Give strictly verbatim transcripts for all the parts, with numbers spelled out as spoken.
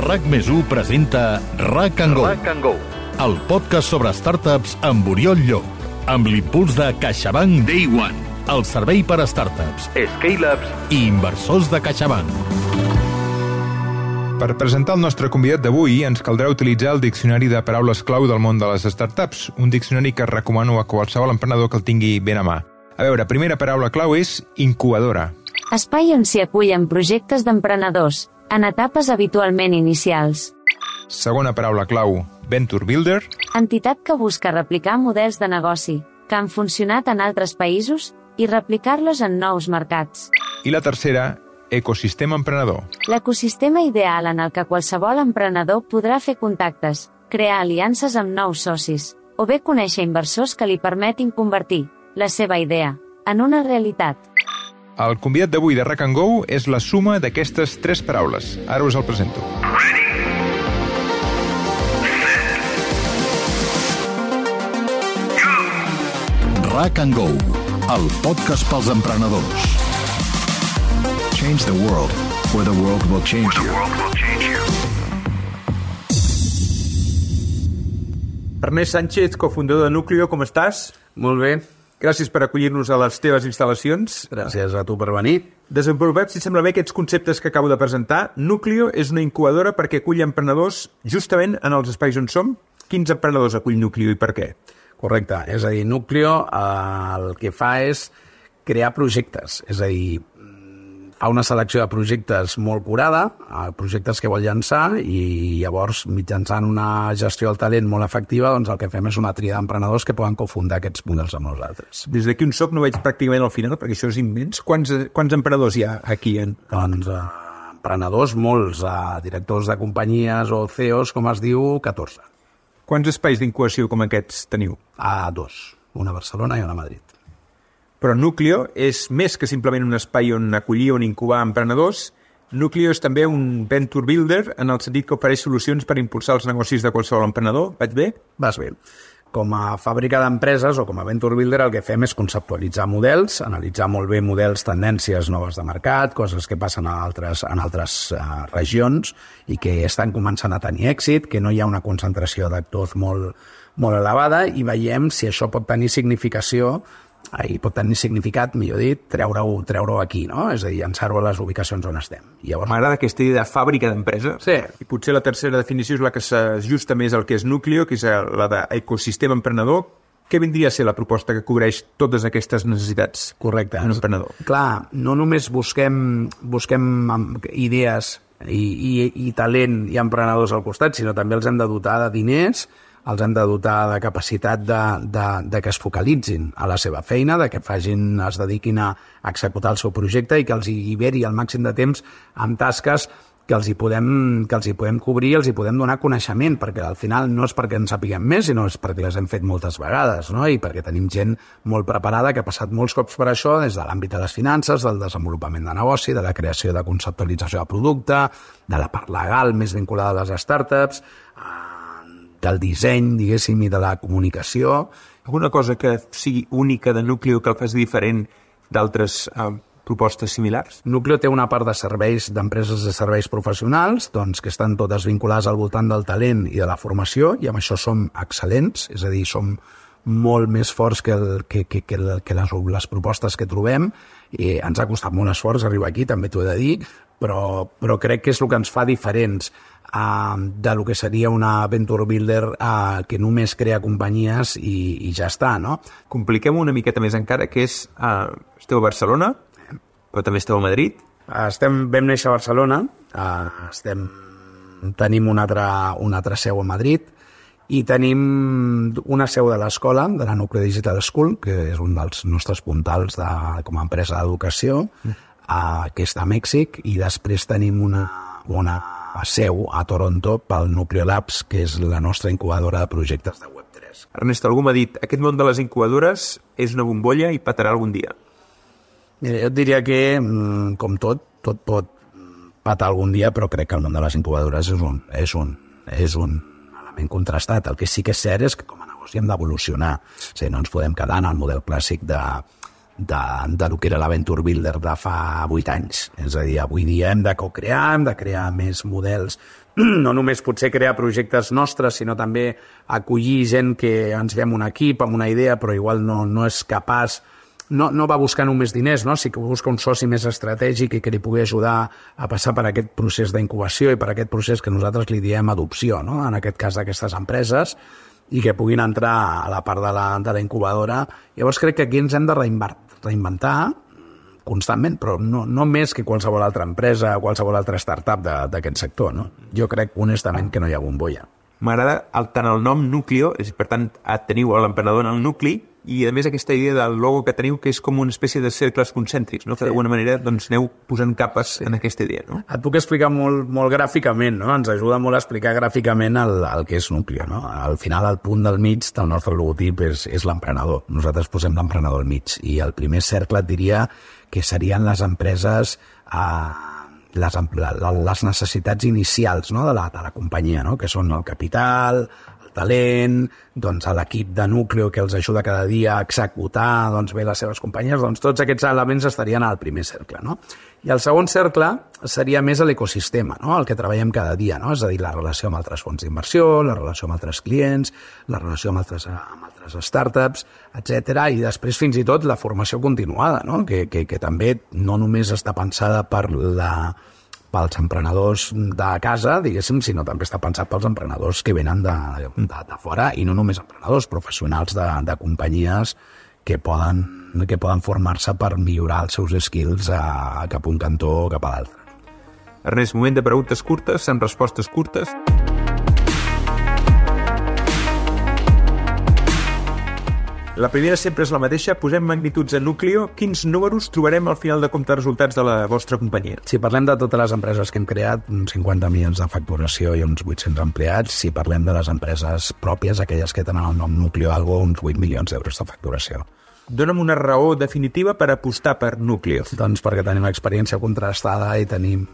RAC més u presenta RAC and Go, RAC and Go, el podcast sobre startups amb Oriol Llop, amb l'impuls de CaixaBank Day One, el servei per a startups, scale-ups i inversors de CaixaBank. Per presentar el nostre convidat d'avui ens caldrà utilitzar el diccionari de paraules clau del món de les startups, un diccionari que recomano a qualsevol emprenedor que el tingui ben a mà. A veure, primera paraula clau és incubadora. Espai on s'hi acullen projectes d'emprenedors, en etapes habitualment inicials. Segona paraula clau, Venture Builder. Entitat que busca replicar models de negoci que han funcionat en altres països i replicar-los en nous mercats. I la tercera, ecosistema emprenedor. L'ecosistema ideal en el que qualsevol emprenedor podrà fer contactes, crear aliances amb nous socis, o bé conèixer inversors que li permetin convertir la seva idea en una realitat. El convidat d'avui de RAC and Go és la suma d'aquestes tres paraules. Ara us el presento. RAC and Go, el podcast pels emprenedors. Change the world, or the world will change you. Ernest Sánchez, cofundador de Núcleo, com estàs? Molt bé. Gràcies per acollir-nos a les teves instal·lacions. Gràcies a tu per venir. Desenvolupem, si sembla bé, aquests conceptes que acabo de presentar. Núcleo és una incubadora perquè acull emprenedors justament en els espais on som. Quins emprenedors acull Núcleo i per què? Correcte. És a dir, Núcleo eh, el que fa és crear projectes. És a dir, fa una selecció de projectes molt curada, projectes que vol llançar, i llavors, mitjançant una gestió del talent molt efectiva, doncs el que fem és una tria d'emprenedors que poden cofundar aquests models amb nosaltres. Des d'aquí on soc no veig pràcticament al final, perquè això és immens. Quants, quants emprenedors hi ha aquí? En... Doncs eh, emprenedors, molts, eh, directors de companyies o C E Os, com es diu, catorze. Quants espais d'incubació com aquests teniu? A dos, una a Barcelona i una a Madrid. Però Núcleo és més que simplement un espai on acollir o on incubar emprenedors. Núcleo és també un venture builder en el sentit que ofereix solucions per impulsar els negocis de qualsevol emprenedor. Vaig bé? Vas bé. Com a fàbrica d'empreses o com a venture builder el que fem és conceptualitzar models, analitzar molt bé models, tendències noves de mercat, coses que passen a altres, en altres uh, regions i que estan començant a tenir èxit, que no hi ha una concentració d'actors molt, molt elevada, i veiem si això pot tenir significació i pot tenir significat, millor dit, treure-ho treure aquí, no? És a dir, llançar-ho a les ubicacions on estem. I llavors... M'agrada aquesta idea de fàbrica d'empresa. Sí. I potser la tercera definició és la que s'ajusta més al que és Núcleo, que és la d'ecosistema emprenedor. Què vindria a ser la proposta que cobreix totes aquestes necessitats? Correcte. Un emprenedor. Clar, no només busquem, busquem idees i, i, i talent i emprenedors al costat, sinó també els hem de dotar de diners, els hem de dotar de capacitat de, de, de que es focalitzin a la seva feina, de que facin, es dediquin a executar el seu projecte i que els alliberi el màxim de temps amb tasques que els hi podem, que els hi podem cobrir, els hi podem donar coneixement, perquè al final no és perquè en sapiguem més, sinó és perquè les hem fet moltes vegades, no? I perquè tenim gent molt preparada que ha passat molts cops per això, des de l'àmbit de les finances, del desenvolupament de negoci, de la creació de conceptualització de producte, de la part legal més vinculada a les startups, del disseny, diguéssim, i de la comunicació. Alguna cosa que sigui única de Núcleo que el faci diferent d'altres eh, propostes similars? Núcleo té una part de serveis, d'empreses de serveis professionals, doncs, que estan totes vinculades al voltant del talent i de la formació, i amb això som excel·lents, és a dir, som molt més forts que, el, que, que, que, el, que les, les propostes que trobem, i ens ha costat molt esforç arribar aquí, també t'ho he de dir, però, però crec que és el que ens fa diferents uh, de lo que seria una venture builder uh, que només crea companyies i, i ja està, no? Compliquem una miqueta més encara, que és, uh, esteu a Barcelona, però també esteu a Madrid. Estem, vam néixer a Barcelona, uh, estem, tenim una altra, una altra seu a Madrid, i tenim una seu de l'escola, de la Núcleo Digital School, que és un dels nostres puntals de, com a empresa d'educació, mm. uh, que està a Mèxic, i després tenim una, una seu a Toronto pel Núcleo Labs, que és la nostra incubadora de projectes de web tres. Ernest, algú m'ha dit, aquest món de les incubadores és una bombolla i petarà algun dia. Mira, jo et diria que, com tot, tot pot patar algun dia, però crec que el món de les incubadores és un, és un, és un element contrastat. El que sí que és cert és que com a negoci hem d'evolucionar. O sigui, no ens podem quedar en el model clàssic de, de, de lo que era l'Aventure Builder de fa vuit anys. És a dir, avui dia hem de co-crear, hem de crear més models, no només potser crear projectes nostres, sinó també acollir gent que ens ve amb un equip, amb una idea, però igual no, no és capaç, no, no va buscar només diners, no? Sí que busca un soci més estratègic i que li pugui ajudar a passar per aquest procés d'incubació i per aquest procés que nosaltres li diem adopció, no? En aquest cas d'aquestes empreses, i que puguin entrar a la part de la, de la incubadora. Llavors crec que aquí ens hem de reinventar constantment, però no, no més que qualsevol altra empresa o qualsevol altra startup d'aquest sector. No? Jo crec honestament que no hi ha bombolla. M'agrada el, tant el nom Núcleo, és, per tant, teniu l'emprenedor en el nucli, i a més aquesta idea del logo que teniu, que és com una espècie de cercles concèntrics, no? Que d'alguna manera doncs, aneu posant capes en aquesta idea. No? Et puc explicar molt, molt gràficament, no? Ens ajuda molt a explicar gràficament el, el que és Núcleo. No? Al final, el punt del mig del nostre logotip és, és l'emprenedor. Nosaltres posem l'emprenedor al mig, i el primer cercle et diria que serien les empreses... Eh, Les, les necessitats inicials, no? de, la, de la companyia, no? Que són el capital, el talent, doncs l'equip de Núcleo que els ajuda cada dia a executar doncs, bé les seves companyies, doncs tots aquests elements estarien al primer cercle. No? I el segon cercle seria més l'ecosistema, no? El que treballem cada dia, no? És a dir, la relació amb altres fons d'inversió, la relació amb altres clients, la relació amb altres, amb altres startups, etcètera. I després fins i tot la formació continuada, no? que, que, que també no només està pensada per la, pels emprenedors de casa, diguéssim, sinó també està pensat pels emprenedors que venen de, de, de fora, i no només emprenedors, professionals de, de companyies que poden, que poden formar-se per millorar els seus skills a, cap a un cantó o cap a l'altre. Ernest, moment de preguntes curtes, amb respostes curtes. La primera sempre és la mateixa. Posem magnituds a Núcleo. Quins números trobarem al final de compte de resultats de la vostra companyia? Si parlem de totes les empreses que hem creat, uns cinquanta milions de facturació i uns vuit-cents empleats. Si parlem de les empreses pròpies, aquelles que tenen el nom Núcleo Algo, uns vuit milions d'euros de facturació. Dóna'm una raó definitiva per apostar per Núcleo. Doncs perquè tenim experiència contrastada i tenim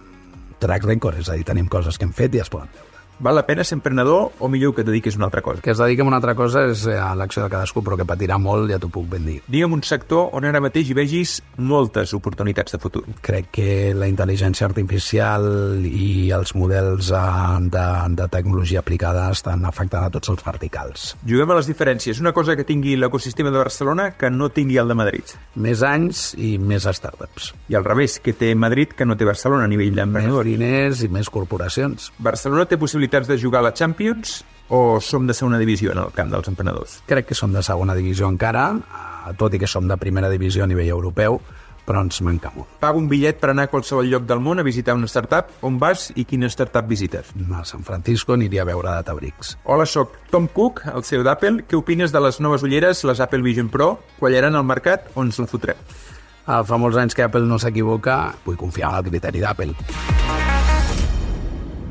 track record, és a dir, tenim coses que hem fet i es poden veure. Val la pena ser emprenedor o millor que et dediquis a una altra cosa? Que es dediqui a una altra cosa és a l'acció de cadascú, però que patirà molt, ja t'ho puc ben dir. Digue'm un sector on ara mateix hi vegis moltes oportunitats de futur. Crec que la intel·ligència artificial i els models de, de tecnologia aplicada estan afectant a tots els verticals. Juguem a les diferències. Una cosa que tingui l'ecosistema de Barcelona que no tingui el de Madrid. Més anys i més startups. I al revés, que té Madrid que no té Barcelona a nivell d'emprenedors. Més diners i més corporacions. Barcelona té possibilitats de jugar a la Champions o som de segona divisió en el camp dels emprenedors? Crec que som de segona divisió encara, tot i que som de primera divisió a nivell europeu, però ens manca molt. Pago un bitllet per anar a qualsevol lloc del món a visitar una startup. On vas i quina startup visites? A San Francisco aniria a veure Databricks. Hola, soc Tom Cook, el C E O d'Apple. Què opines de les noves ulleres, les Apple Vision Pro? Quallaran al mercat o ens la fotrem? Fa molts anys que Apple no s'equivoca, vull confiar en el criteri d'Apple.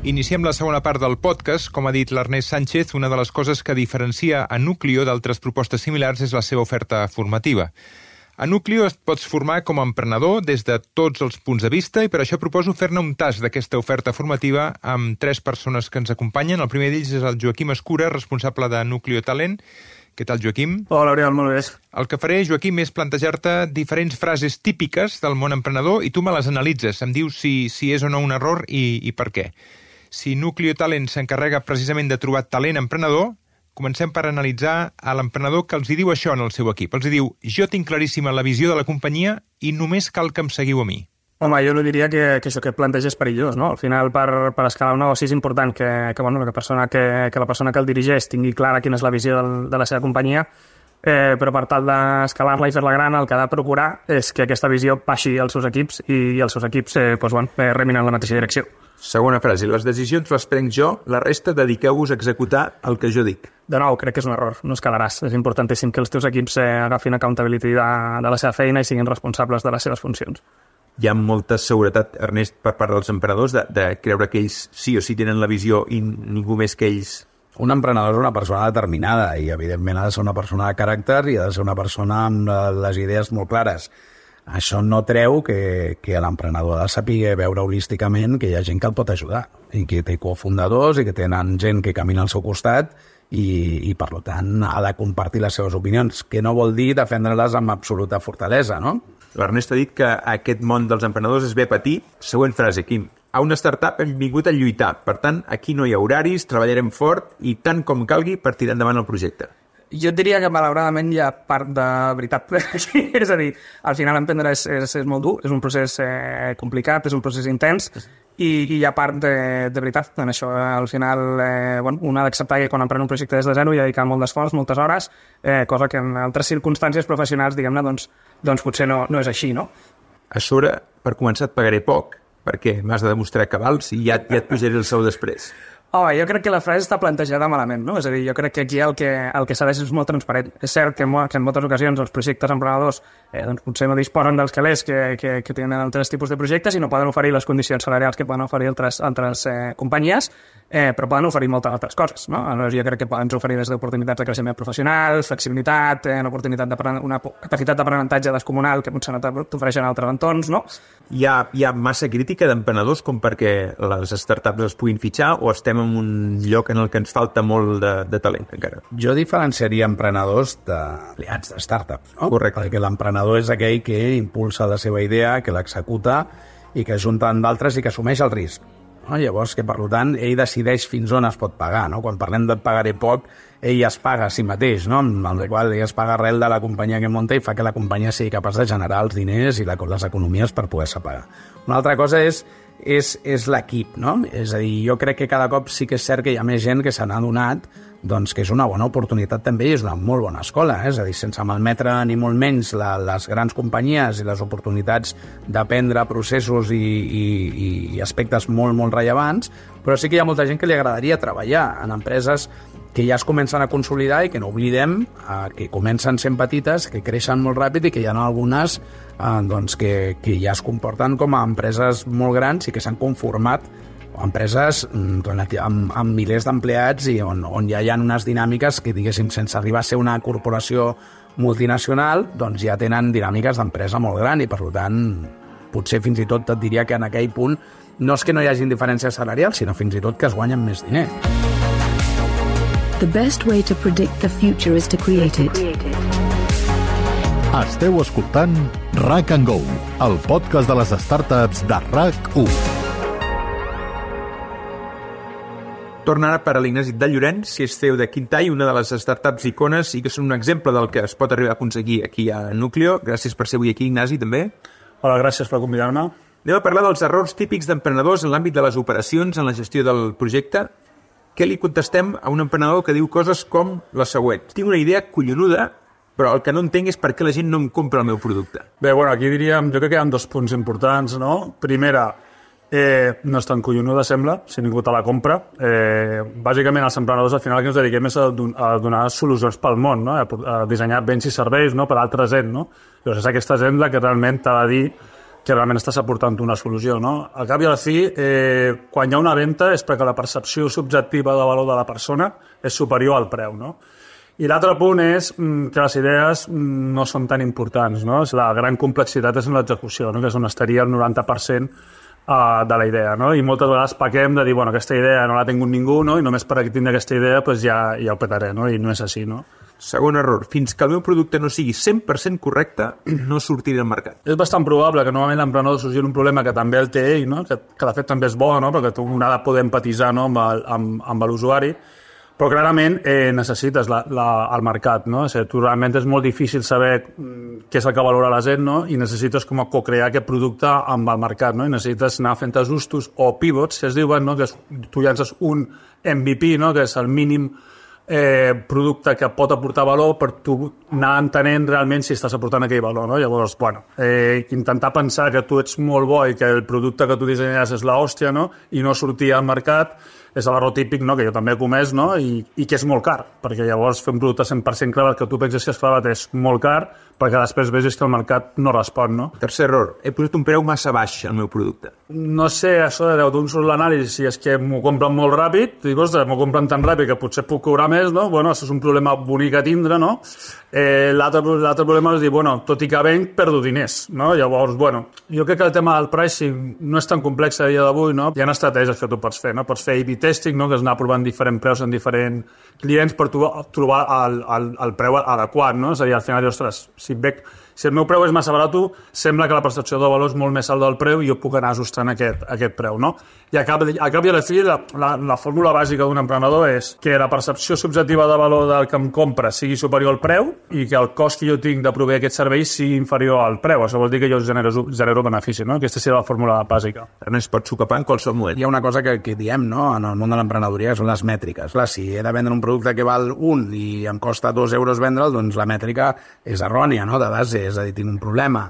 Iniciem la segona part del podcast. Com ha dit l'Ernest Sánchez, una de les coses que diferencia a Núcleo d'altres propostes similars és la seva oferta formativa. A Núcleo et pots formar com a emprenedor des de tots els punts de vista i per això proposo fer-ne un tast d'aquesta oferta formativa amb tres persones que ens acompanyen. El primer d'ells és el Joaquim Escura, responsable de Núcleo Talent. Què tal, Joaquim? Hola, Oriol, molt bé. El que faré, Joaquim, és plantejar-te diferents frases típiques del món emprenedor i tu me les analitzes. Em dius si, si és o no un error i, i per què. Si Núcleo Talent s'encarrega precisament de trobar talent emprenedor, comencem per analitzar a l'emprenedor que els hi diu això en el seu equip. Els hi diu, jo tinc claríssima la visió de la companyia i només cal que em seguiu a mi. Home, jo no diria que, que això que planteja és perillós, no? Al final, per, per escalar un negoci és important que, que, bueno, que, persona que, que la persona que el dirigeix tingui clara quina és la visió del, de la seva companyia, eh, però per tal d'escalar-la i fer-la gran, el que ha de procurar és que aquesta visió passi als seus equips i, i els seus equips eh, doncs, bueno, eh, remin en la mateixa direcció. Segona frase, les decisions les prenc jo, la resta dediqueu-vos a executar el que jo dic. De nou, crec que és un error, no escalaràs. És importantíssim que els teus equips eh, agafin accountability de, de la seva feina i siguin responsables de les seves funcions. Hi ha molta seguretat, Ernest, per part dels emprenedors de, de creure que ells sí o sí tenen la visió i ningú més que ells. Un emprenedor és una persona determinada i, evidentment, ha de ser una persona de caràcter i ha de ser una persona amb les idees molt clares. Això no treu que, que l'emprenedor ha de saber veure holísticament que hi ha gent que el pot ajudar i que té cofundadors i que tenen gent que camina al seu costat i, i per tant ha de compartir les seves opinions, que no vol dir defendre-les amb absoluta fortalesa, no? L'Ernest ha dit que aquest món dels emprenedors es ve a patir. Següent frase, Quim. A una startup hem vingut a lluitar. Per tant, aquí no hi ha horaris, treballarem fort i tant com calgui per tirar endavant el projecte. Jo et diria que malauradament hi ha part de veritat. És a dir, al final emprendre és, és, és molt dur, és un procés eh, complicat, és un procés intens, i, i hi ha part de, de veritat en això. Al final, eh, bueno, un ha d'acceptar que quan emprèn un projecte des de zero hi ha dedicat molt d'esforç, moltes hores, eh, cosa que en altres circumstàncies professionals, diguem-ne, doncs, doncs potser no, no és així, no? A sobre, per començar, et pagaré poc, perquè m'has de demostrar que vals i ja, ja et pujaré el sou després. Oh, jo crec que la frase està plantejada malament, no? És a dir, jo crec que aquí el que, el que s'ha de ser és molt transparent. És cert que en, que en moltes ocasions els projectes emprenedors eh, doncs potser no disposen dels calés que, que, que tenen altres tipus de projectes i no poden oferir les condicions salarials que poden oferir altres, altres eh, companyies, eh, però poden oferir moltes altres coses, no? Aleshores, jo crec que poden oferir des d'oportunitats de creixement professional, flexibilitat, eh, una oportunitat una capacitat d'aprenentatge descomunal que potser no t'ofereixen altres entorns, no? Hi ha, hi ha massa crítica d'emprenedors com perquè les startups es puguin fitxar o estem en un lloc en el que ens falta molt de, de talent encara? Jo diferenciaria emprenedors d'aliats de startups, no? Correcte. Perquè l'emprenedor és aquell que impulsa la seva idea, que l'executa i que junta amb d'altres i que assumeix el risc. No? Llavors, que per tant, ell decideix fins on es pot pagar, no? Quan parlem de pagaré poc, ell es paga a si mateix, no? Amb el qual ell es paga arrel de la companyia que munta i fa que la companyia sigui capaç de generar els diners i la, les economies per poder-se pagar. Una altra cosa és és, és l'equip, no? És a dir, jo crec que cada cop sí que és cert que hi ha més gent que se n'ha adonat doncs que és una bona oportunitat també i és una molt bona escola, eh? És a dir, sense malmetre ni molt menys la, les grans companyies i les oportunitats d'aprendre processos i, i, i aspectes molt, molt rellevants, però sí que hi ha molta gent que li agradaria treballar en empreses que ja es comencen a consolidar i que no oblidem eh, que comencen sent petites, que creixen molt ràpid i que hi ha algunes eh, doncs que, que ja es comporten com a empreses molt grans i que s'han conformat empreses amb, amb milers d'empleats i on, on ja hi ha unes dinàmiques que, diguéssim, sense arribar a ser una corporació multinacional, doncs ja tenen dinàmiques d'empresa molt gran i, per tant, potser fins i tot et diria que en aquell punt no és que no hi hagi diferències salarials, sinó fins i tot que es guanyen més diners. The best way to predict the future is to create it. Esteu escoltant RAC and Go, el podcast de les startups de RAC u. Torna ara per a l'Ignasi de Llorenç, que és C E O de Quintall, una de les startups icones i que són un exemple del que es pot arribar a aconseguir aquí a Núcleo. Gràcies per ser avui aquí, Ignasi, també. Hola, gràcies per convidar-me. Anem a parlar dels errors típics d'emprenedors en l'àmbit de les operacions, en la gestió del projecte. Què li contestem a un emprenedor que diu coses com la següent? Tinc una idea collonuda, però el que no entenc és per què la gent no em compra el meu producte. Bé, bueno, aquí diríem, jo crec que hi ha dos punts importants, no? Primera, Eh, no és tan collonuda, sembla, si ningú te la compra. Eh, bàsicament, els emprenedors al final que ens dediquem és a, don a donar solucions pel món, no? a, a dissenyar béns i serveis, no? Per a altra gent. No? Llavors és aquesta gent la que realment t'ha de dir que realment estàs aportant una solució. No? Al cap i a la fi, eh, quan hi ha una venda és perquè la percepció subjectiva de valor de la persona és superior al preu. No? I l'altre punt és mm, que les idees mm, no són tan importants. No? La gran complexitat és en l'execució, no? Que és on estaria el noranta per cent de la idea, no? I moltes vegades pequem de dir, bueno, aquesta idea no la ha tingut ningú, no? I només per aquí tindre aquesta idea pues ja, ja ho petaré, no? I no és així, no? Segon error, fins que el meu producte no sigui cent per cent correcte, no sortiré al mercat. És bastant probable que normalment l'emprenedor sorgir un problema que també el té ell, no? que, que de fet també és bo, no? Perquè tu un ha de poder empatitzar, no? amb, el, amb, amb l'usuari, però clarament eh, necessites la, la, el mercat, no? O sigui, tu realment és molt difícil saber què és el que valora la gent, no? I necessites com a co-crear aquest producte amb el mercat, no? I necessites anar fent ajustos o pivots, si es diuen, no? Que és, tu llances un M V P, no? Que és el mínim eh, producte que pot aportar valor per tu anar entenent realment si estàs aportant aquell valor, no? Llavors, bueno, eh, intentar pensar que tu ets molt bo i que el producte que tu dissenyes és l'hòstia, no? I no sortir al mercat és l'error típic, no? Que jo també he comès, no? I, i que és molt car, perquè llavors fer un producte cent per cent clavat que tu penses que és clavat és molt car, perquè després veus que el mercat no respon, no? Tercer error, he posat un preu massa baix al meu producte. no sé, això de d'on surt l'anàlisi, si és que m'ho compren molt ràpid, dic, ostres, m'ho compren tan ràpid que potser puc cobrar més, no? Bueno, això és un problema bonic a tindre, no? Eh, l'altre, l'altre problema és dir, bueno, tot i que venc, perdo diners, no? Llavors, bueno, jo crec que el tema del pricing no és tan complex a dia d'avui, no? Hi ha estratègies que tu pots fer, no? Pots fer A B testing, no? Que és anar provant diferents preus en diferents clients per tu trobar el, el, el preu adequat, no? És a dir, al final, ostres, si veig si el meu preu és massa barat, sembla que la percepció de valor és molt més alt del preu i jo puc anar ajustant aquest, aquest preu, no? I a cap, a cap i a la fi, la, la, la fórmula bàsica d'un emprenedor és que la percepció subjectiva de valor del que em compra sigui superior al preu i que el cost que jo tinc de proveir aquest servei sigui inferior al preu. Això vol dir que jo genero, genero benefici, no? Aquesta seria la fórmula bàsica. No es pot socapar en qualsevol moment. Hi ha una cosa que, que diem, no?, en el món de l'emprenedoria, que són les mètriques. Clar, si he de vendre un producte que val un i em costa dos euros vendre'l, doncs la mètrica és errònia, no?, de base, és a dir, tinc un problema.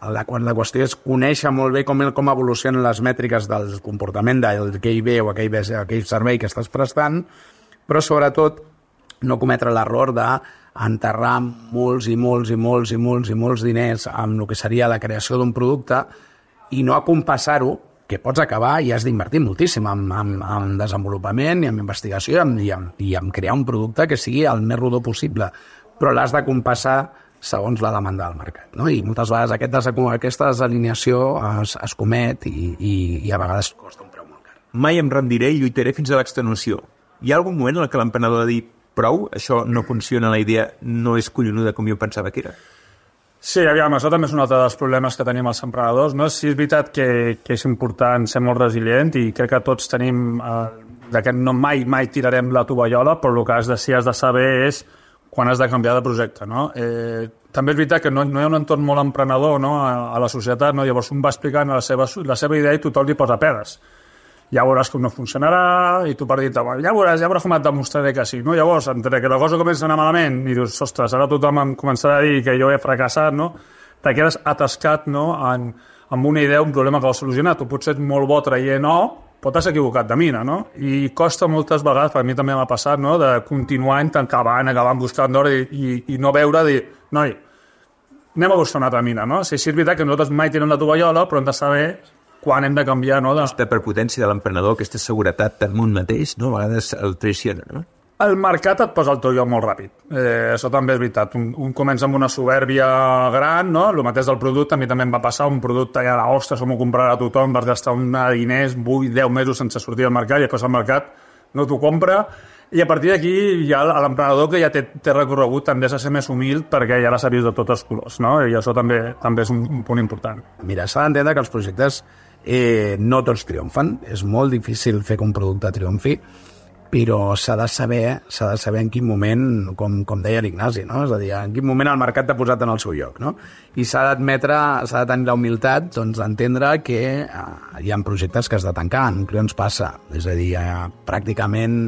La, la qüestió és conèixer molt bé com, com evolucionen les mètriques del comportament d'aquell bé o aquell, bé, aquell servei que estàs prestant, però sobretot no cometre l'error d'enterrar molts i molts i molts i molts i molts diners amb el que seria la creació d'un producte i no acompassar-ho, que pots acabar i has d'invertir moltíssim en, en, en desenvolupament i en investigació i en, i, en, i en crear un producte que sigui el més rodó possible, però l'has de compassar segons la demanda del mercat, no? I moltes vegades aquest des, aquesta desalineació es, es comet i, i, i a vegades costa un preu molt car. Mai em rendiré i lluitaré fins a l'extenuació. Hi ha algun moment en què l'emprenedor ha de dir prou, això no funciona, la idea no és collonuda com jo pensava que era? Sí, aviam, això també és un altre dels problemes que tenim els emprenedors, no? Sí, és veritat que, que és important ser molt resilient i crec que tots tenim eh, que no mai, mai tirarem la tovallola, però el que has de, sí has de saber és quan has de canviar de projecte, no? Eh, també és veritat que no, no hi ha un entorn molt emprenedor, no?, a, a la societat, no? Llavors un va explicant la seva, la seva idea i tothom li posa pedes. Ja veuràs com no funcionarà i tu per dir-te, ja veuràs, ja veuràs com et demostraré que sí, no? Llavors, entre que la cosa comença a anar malament i dius, ostres, ara tothom em començarà a dir que jo he fracassat, no? Te quedes atascat, no?, en, en una idea, un problema que vols solucionar. Tu pots ser molt bo traient O, però t'has equivocat de mina, no? I costa moltes vegades, per a mi també m'ha passat, no?, de continuar acabant, acabant buscant d'or i, i, i no veure, dir, noi, anem a buscar una altra mina, no? Sí, sí, és veritat que nosaltres mai tenim la tovallola, però hem de saber quan hem de canviar, no? De... Aquesta prepotència de l'emprenedor, aquesta seguretat en un mateix, no?, a vegades el traiciona, no? El mercat et posa al teu lloc molt ràpid. Eh, això també és veritat. Un, un comença amb una soberbia gran, no? El mateix del producte, a mi també em va passar, un producte ja, ostres, com ho comprarà tothom, vas gastar un diners, vuit, deu mesos sense sortir al mercat, i després el mercat no t'ho compra, i a partir d'aquí ja l'emprenedor que ja té, té recorregut també has de ser més humil perquè ja l'has vist de tots els colors, no? I això també també és un, un punt important. Mira, s'ha d'entendre que els projectes eh, no tots triomfen. És molt difícil fer que un producte triomfi, però s'ha de saber, s'ha de saber en quin moment, com, com deia l'Ignasi, no? És a dir, en quin moment el mercat t'ha posat en el seu lloc, no? I s'ha d'admetre, s'ha de tenir la humilitat, doncs, d'entendre que eh, hi ha projectes que has de tancar, en què ens passa? És a dir, eh, pràcticament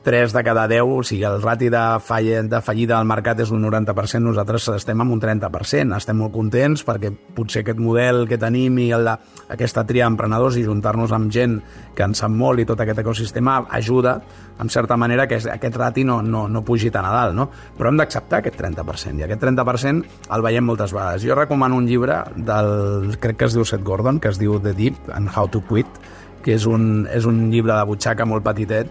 tres de cada deu, o sigui, el rati de, fall, de fallida del mercat és un noranta per cent, nosaltres estem amb un trenta per cent. Estem molt contents perquè potser aquest model que tenim i el de, aquesta tria d'emprenedors i juntar-nos amb gent que en sap molt i tot aquest ecosistema ajuda, en certa manera, que aquest rati no, no, no pugi tan a dalt, no? Però hem d'acceptar aquest trenta per cent, i aquest trenta per cent el veiem moltes vegades. Jo recomano un llibre del, crec que es diu Seth Gordon, que es diu The Deep and How to Quit, que és un, és un llibre de butxaca molt petitet,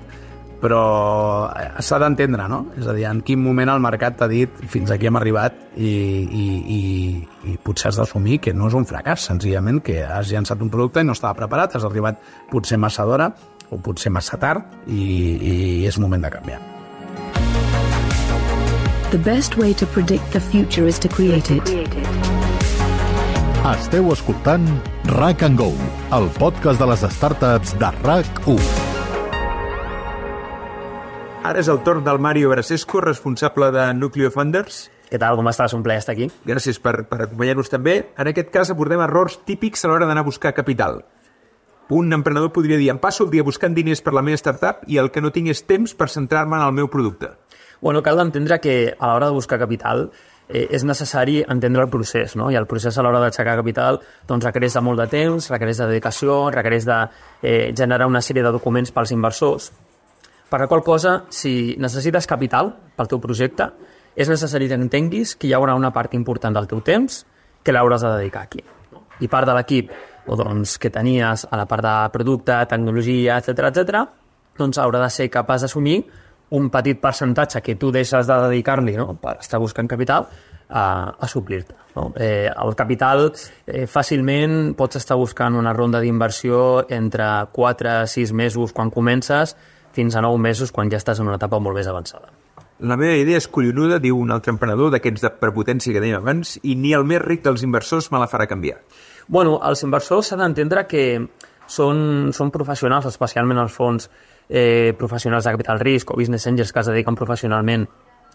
però s'ha d'entendre, no? És a dir, en quin moment el mercat t'ha dit fins aquí hem arribat i, i, i, i potser has d'assumir que no és un fracàs, senzillament que has llançat un producte i no estava preparat, has arribat potser massa d'hora o potser massa tard i, i és moment de canviar. The best way to predict the future is to create it. Esteu escoltant RAC and Go, el podcast de les startups de RAC u. Ara és el torn del Mario Brasesco, responsable de Nucleo Funders. Què tal? Com estàs? Un plaer estar aquí. Gràcies per, per acompanyar-nos també. En aquest cas abordem errors típics a l'hora d'anar a buscar capital. Un emprenedor podria dir, em passo el dia buscant diners per la meva startup i el que no tinc és temps per centrar-me en el meu producte. Bueno, cal entendre que a l'hora de buscar capital eh, és necessari entendre el procés, no? I el procés a l'hora d'aixecar capital doncs, requereix de molt de temps, requereix de dedicació, requereix de eh, generar una sèrie de documents pels inversors. Per la qual cosa, si necessites capital pel teu projecte, és necessari que entenguis que hi haurà una part important del teu temps que l'hauràs de dedicar aquí. I part de l'equip o doncs, que tenies a la part de producte, tecnologia, etcètera, etcètera, doncs haurà de ser capaç d'assumir un petit percentatge que tu deixes de dedicar-li, no?, per estar buscant capital a, a suplir-te. No? Eh, el capital eh, fàcilment pots estar buscant una ronda d'inversió entre quatre a sis mesos quan comences fins a nou mesos quan ja estàs en una etapa molt més avançada. La meva idea és collonuda, diu un altre emprenedor d'aquests de prepotència que dèiem abans, i ni el més ric dels inversors me la farà canviar. Bueno, els inversors s'ha d'entendre que són, són professionals, especialment els fons eh, professionals de capital risc o business angels que es dediquen professionalment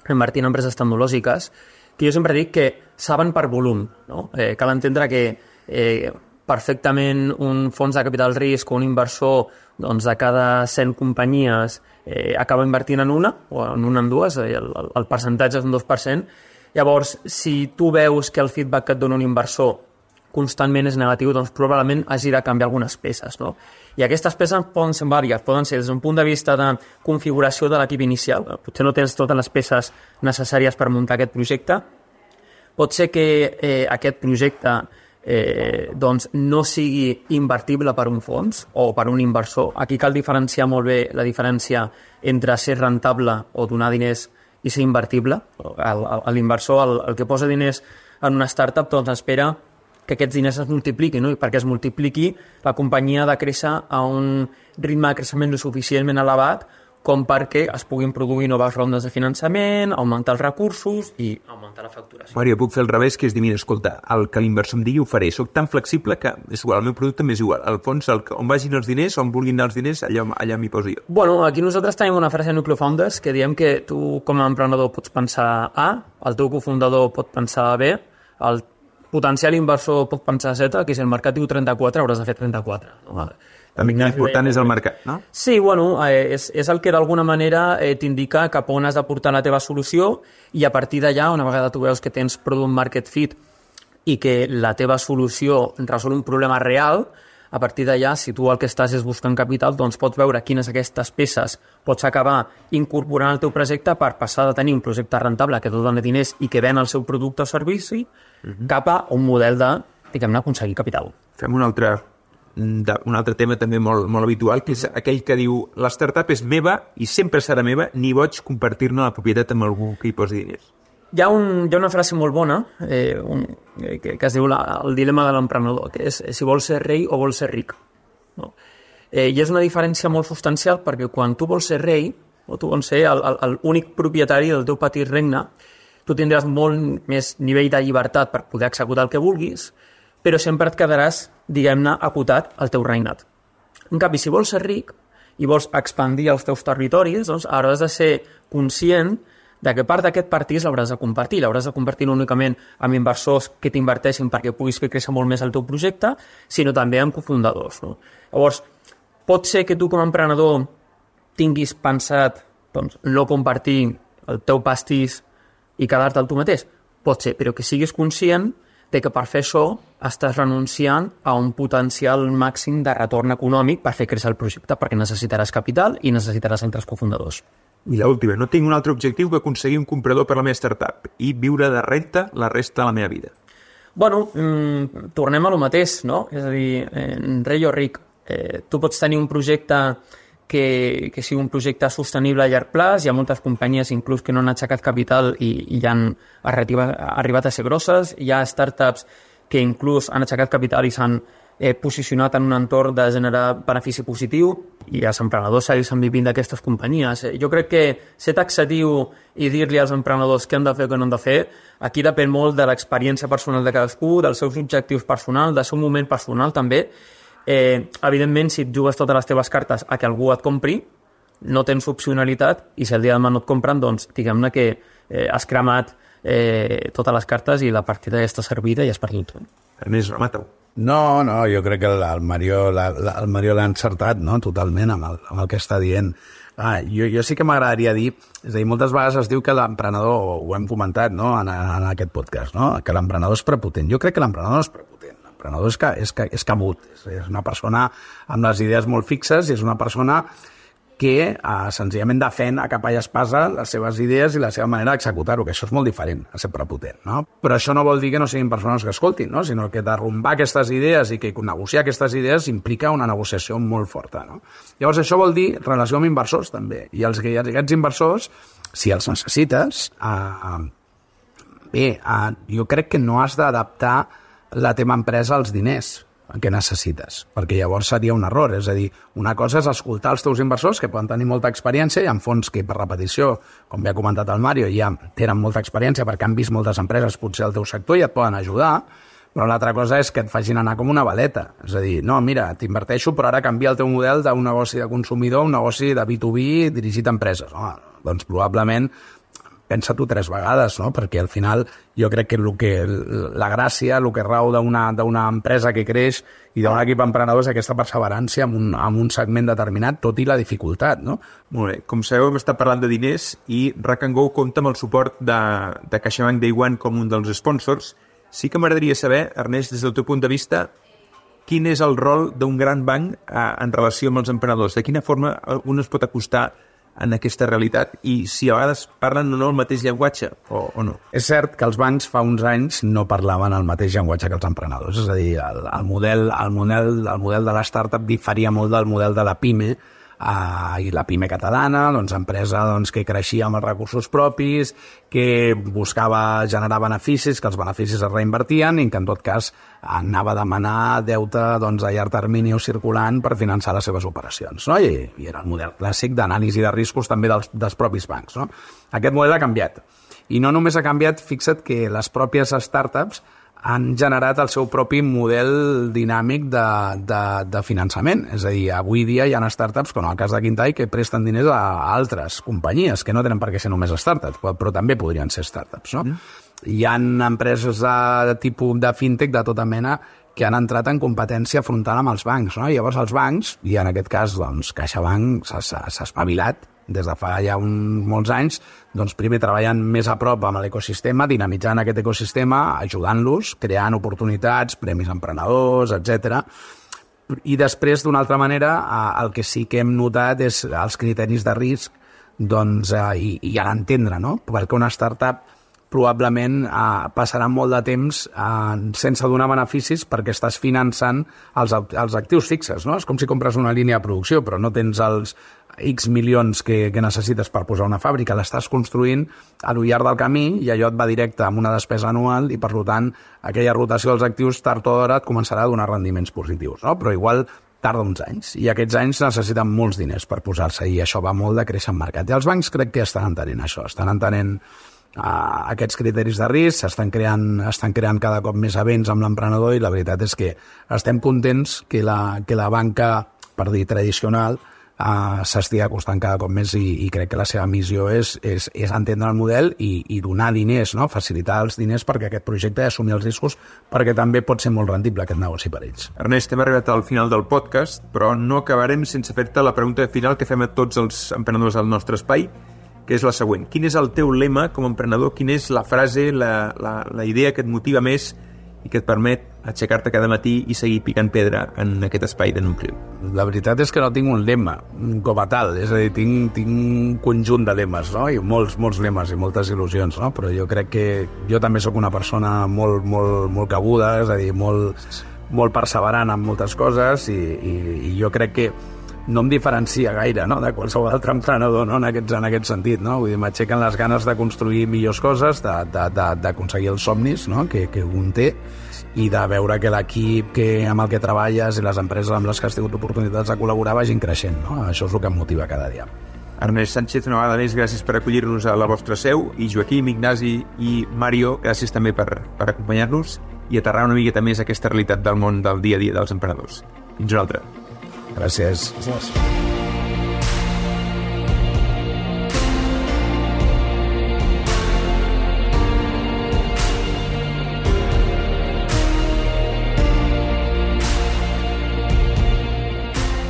a invertir en empreses tecnològiques, que jo sempre dic que saben per volum. No? Eh, cal entendre que eh, perfectament un fons de capital risc o un inversor doncs, de cada cent companyies eh, acaba invertint en una o en una en dues, eh, el, el percentatge és un dos per cent. Llavors, si tu veus que el feedback que et dona un inversor constantment és negatiu, doncs probablement hagi de canviar algunes peces. No? I aquestes peces poden ser vàries, poden ser des d'un punt de vista de configuració de l'equip inicial. Potser no tens totes les peces necessàries per muntar aquest projecte. Pot ser que eh, aquest projecte eh, doncs no sigui invertible per un fons o per un inversor. Aquí cal diferenciar molt bé la diferència entre ser rentable o donar diners i ser invertible. L'inversor, el, el que posa diners en una startup, doncs espera que aquests diners es multipliquin, no? I perquè es multipliqui, la companyia ha de créixer a un ritme de creixement suficientment elevat com perquè es puguin produir noves rondes de finançament, augmentar els recursos i augmentar la facturació. Mario, puc fer el revés, que és dir, mira, escolta, el que l'inversor em digui ho faré. Soc tan flexible que és igual, el meu producte m'és igual. Al fons, el, on vagin els diners, on vulguin anar els diners, allà, allà m'hi poso jo. Bueno, aquí nosaltres tenim una frase a Nucleo Founders que diem que tu, com a emprenedor, pots pensar A, el teu cofundador pot pensar B, el potencial inversor pot pensar Z, que si el mercat diu trenta-quatre, hauràs de fer trenta-quatre. No? També l'important és el mercat, no? Sí, bueno, eh, és, és el que d'alguna manera eh, t'indica cap on has de portar la teva solució i a partir d'allà, una vegada tu veus que tens product market fit i que la teva solució resol un problema real, a partir d'allà, si tu el que estàs és buscant capital, doncs pots veure quines d'aquestes peces pots acabar incorporant al teu projecte per passar de tenir un projecte rentable que et dona diners i que ven el seu producte o servici uh-huh. cap a un model de, diguem-ne, aconseguir capital. Fem un altre... De, un altre tema també molt, molt habitual, que és aquell que diu la startup és meva i sempre serà meva, ni boig compartir-ne la propietat amb algú que hi posi diners. Hi ha, un, hi ha una frase molt bona eh, un, eh, que, que es diu la, el dilema de l'emprenedor, que és si vols ser rei o vols ser ric. No? Eh, I és una diferència molt substancial perquè quan tu vols ser rei o tu vols ser l'únic propietari del teu petit regne, tu tindràs molt més nivell de llibertat per poder executar el que vulguis, però sempre et quedaràs, diguem-ne, acotat al teu regnat. En canvi, si vols ser ric i vols expandir els teus territoris, doncs hauràs de ser conscient de que part d'aquest partís l'hauràs de compartir. L'hauràs de compartir no únicament amb inversors que t'inverteixin perquè puguis fer créixer molt més el teu projecte, sinó també amb cofundadors. No? Llavors, pot ser que tu com a emprenedor tinguis pensat doncs, no compartir el teu pastís i quedar-te al tu mateix? Pot ser, però que siguis conscient de que per fer això estàs renunciant a un potencial màxim de retorn econòmic per fer créixer el projecte, perquè necessitaràs capital i necessitaràs altres cofundadors. I l'última, no tinc un altre objectiu que aconseguir un comprador per la meva startup i viure de renta la resta de la meva vida. Bueno, mmm, tornem a lo mateix, no? És a dir, eh, rei o ric, eh, tu pots tenir un projecte que, que sigui un projecte sostenible a llarg plaç. Hi ha moltes companyies inclús que no han aixecat capital i, i ja han arribat, arribat a ser grosses. Hi ha startups que inclús han aixecat capital i s'han eh, posicionat en un entorn de generar benefici positiu i els emprenedors segueixen vivint d'aquestes companyies. Jo crec que ser taxatiu i dir-li als emprenedors què han de fer o què no han de fer, aquí depèn molt de l'experiència personal de cadascú, dels seus objectius personals, del seu moment personal també. Eh, evidentment, si et jugues totes les teves cartes a que algú et compri, no tens opcionalitat i si el dia de demà no et compren, doncs diguem-ne que eh, has cremat eh, totes les cartes i la partida ja està servida i has perdut. Ernest, remata-ho. No, no, jo crec que el Mario l'ha el Mario l'ha encertat, no?, totalment amb el, amb el que està dient. Ah, jo, jo sí que m'agradaria dir, és a dir, moltes vegades es diu que l'emprenedor, ho hem comentat, no?, en, en aquest podcast, no?, que l'emprenedor és prepotent. Jo crec que l'emprenedor no és prepotent. L'emprenedor és, que, és, que, és cabut, és, és una persona amb les idees molt fixes i és una persona que eh, senzillament defen a capa i espasa les seves idees i la seva manera d'executar-ho, que això és molt diferent a ser prepotent, no? Però això no vol dir que no siguin persones que escoltin, no? Sinó que derrumbar aquestes idees i que negociar aquestes idees implica una negociació molt forta, no? Llavors això vol dir relació amb inversors també, i els, aquests inversors, si els necessites, eh, bé, eh, jo crec que no has d'adaptar la teva empresa als diners que necessites, perquè llavors seria un error. És a dir, una cosa és escoltar els teus inversors, que poden tenir molta experiència, hi ha fons que, per repetició, com bé ha comentat el Mario, ja tenen molta experiència perquè han vist moltes empreses potser al teu sector i et poden ajudar, però l'altra cosa és que et facin anar com una baleta. És a dir, no, mira, t'inverteixo, però ara canvia el teu model d'un negoci de consumidor a un negoci de B dos B dirigit a empreses. Home, doncs probablement pensa-t'ho tres vegades, no? Perquè al final jo crec que, el que la gràcia, el que rau d'una d'una empresa que creix i d'un equip emprenedor és aquesta perseverància en un, en un segment determinat, tot i la dificultat, no? Molt bé. Com sabeu, hem estat parlant de diners i Rack and Go compta amb el suport de, de CaixaBank Day One com un dels sponsors. Sí que m'agradaria saber, Ernest, des del teu punt de vista, quin és el rol d'un gran banc eh, en relació amb els emprenedors? De quina forma un es pot acostar en aquesta realitat i si a vegades parlen o no el mateix llenguatge o, o no. És cert que els bancs fa uns anys no parlaven el mateix llenguatge que els emprenedors, és a dir, el, el, model, el, model, el model de la startup diferia molt del model de la PIME, Uh, i la PIME catalana, doncs, empresa doncs, que creixia amb els recursos propis, que buscava generar beneficis, que els beneficis es reinvertien i que en tot cas anava a demanar deute doncs, a llarg termini o circulant per finançar les seves operacions, no? I, i era el model clàssic d'anàlisi de riscos també dels, dels propis bancs, no? Aquest model ha canviat. I no només ha canviat, fixa't que les pròpies startups han generat el seu propi model dinàmic de, de, de finançament. És a dir, avui dia hi ha startups, com en el cas de Quintai, que presten diners a, a altres companyies, que no tenen per què ser només startups, però, però també podrien ser startups, no? Mm. Hi ha empreses de, de tipus de fintech de tota mena que han entrat en competència frontal amb els bancs, no? I llavors els bancs, i en aquest cas doncs, CaixaBank s'ha espavilat des de fa ja un, molts anys, doncs primer treballant més a prop amb l'ecosistema, dinamitzant aquest ecosistema, ajudant-los, creant oportunitats, premis emprenedors, etcètera. I després, d'una altra manera, el que sí que hem notat és els criteris de risc, doncs, i, i a l'entendre, no? Perquè una startup probablement eh, passarà molt de temps eh, sense donar beneficis perquè estàs finançant els, els actius fixes, no? És com si compres una línia de producció, però no tens els X milions que, que necessites per posar una fàbrica, l'estàs construint a lo llarg del camí i allò et va directe amb una despesa anual i, per tant, aquella rotació dels actius tard o d'hora et començarà a donar rendiments positius, no? Però igual tarda uns anys, i aquests anys necessiten molts diners per posar-se, i això va molt de créixer en mercat. I els bancs crec que estan entenent això, estan entenent Uh, aquests criteris de risc, s'estan creant, estan creant cada cop més events amb l'emprenedor, i la veritat és que estem contents que la, que la banca, per dir tradicional, uh, s'estigui acostant cada cop més, i, i crec que la seva missió és, és, és entendre el model i, i donar diners, no? Facilitar els diners perquè aquest projecte ha d'assumir els riscos, perquè també pot ser molt rendible aquest negoci per ells. Ernest, hem arribat al final del podcast, però no acabarem sense fer-te la pregunta final que fem a tots els emprenedors del nostre espai, que és la següent. Quin és el teu lema com a emprenedor? Quina és la frase, la, la, la idea que et motiva més i que et permet aixecar-te cada matí i seguir picant pedra en aquest espai de Nucleo? La veritat és que no tinc un lema com a tal, és a dir, tinc, tinc un conjunt de lemes, no? I molts, molts lemes i moltes il·lusions, no? Però jo crec que jo també sóc una persona molt, molt, molt cabuda, és a dir, molt, molt perseverant en moltes coses, i, i, i jo crec que no em diferencia gaire, no?, de qualsevol altre emprenedor, no?, en aquest, en aquest sentit, no? Vull dir, m'aixequen les ganes de construir millors coses, d'aconseguir els somnis, no?, que, que un té, i de veure que l'equip que, amb el que treballes i les empreses amb les que has tingut oportunitats de col·laborar vagin creixent, no? Això és el que em motiva cada dia. Ernest Sánchez, una vegada més, gràcies per acollir-nos a la vostra seu, i Joaquim, Ignasi i Mario, gràcies també per, per acompanyar-nos i aterrar una miqueta més aquesta realitat del món del dia a dia dels emprenedors. Fins una altra. Gràcies. Gràcies.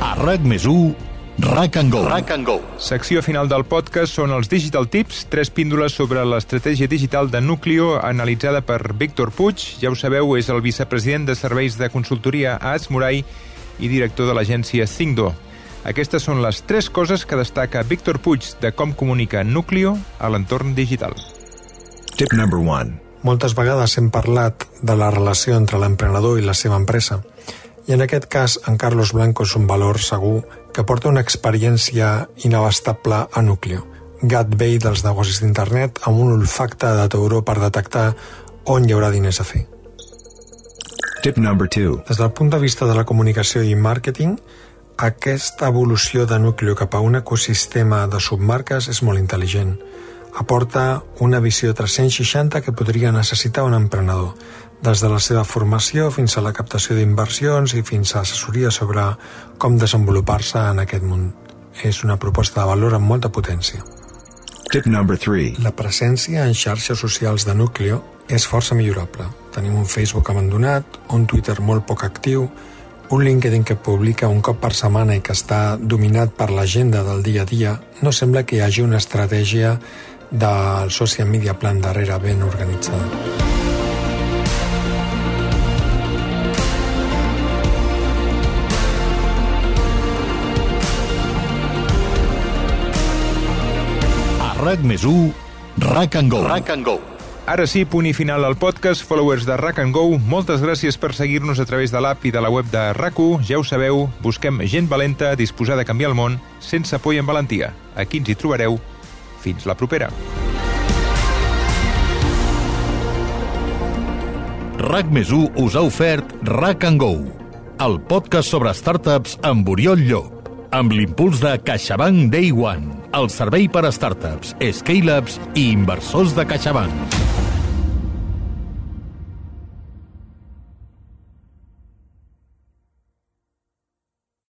A RAC més u, Rack and Go. Rack and Go. Secció final del podcast són els Digital Tips, tres píndoles sobre l'estratègia digital de Nucleo analitzada per Víctor Puig. Ja ho sabeu, és el vicepresident de serveis de consultoria a Atsmurai i director de l'agència Cingdo. Aquestes són les tres coses que destaca Víctor Puig de com comunica Núcleo a l'entorn digital. Tip number one. Moltes vegades hem parlat de la relació entre l'emprenedor i la seva empresa. I en aquest cas, en Carlos Blanco és un valor segur que porta una experiència inabastable a Núcleo. Gateway dels negocis d'internet amb un olfacte de tauró per detectar on hi haurà diners a fer. Tip number two. Des del punt de vista de la comunicació i màrqueting, aquesta evolució de Núcleo cap a un ecosistema de submarques és molt intel·ligent. Aporta una visió tres-cents seixanta que podria necessitar un emprenedor, des de la seva formació fins a la captació d'inversions i fins a assessoria sobre com desenvolupar-se en aquest món. És una proposta de valor amb molta potència. Tip number three. La presència en xarxes socials de Núcleo és força millorable. Tenim un Facebook abandonat, un Twitter molt poc actiu, un LinkedIn que publica un cop per setmana i que està dominat per l'agenda del dia a dia. No sembla que hi hagi una estratègia del social media plan darrere ben organitzada. RAC més u, Rack and Go. Rack and Go. Ara sí, punt i final al podcast. Followers de Rack and Go, moltes gràcies per seguir-nos a través de l'app i de la web de R A C u. Ja ho sabeu, busquem gent valenta disposada a canviar el món sense por i amb valentia. Aquí ens hi trobareu. Fins la propera. RAC més u us ha ofert Rack and Go, el podcast sobre startups amb Oriol Llop, amb l'impuls de CaixaBank Day One, el servei per a startups, scale-ups i inversors de CaixaBank.